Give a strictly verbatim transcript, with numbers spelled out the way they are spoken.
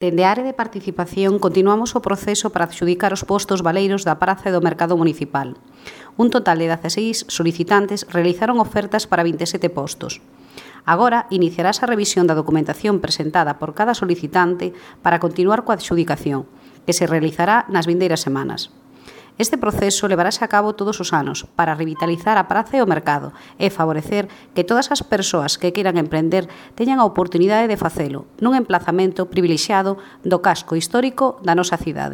Dende a área de participación continuamos o proceso para adxudicar os postos baleiros da praza e do mercado municipal. Un total de dezaseis solicitantes realizaron ofertas para vinte e sete postos. Agora iniciarase a revisión da documentación presentada por cada solicitante para continuar coa adxudicación, que se realizará nas vindeiras semanas. Este proceso levarase a cabo todos os anos para revitalizar a praza e o mercado e favorecer que todas as persoas que queiran emprender teñan a oportunidade de facelo nun emplazamento privilexiado do casco histórico da nosa cidade.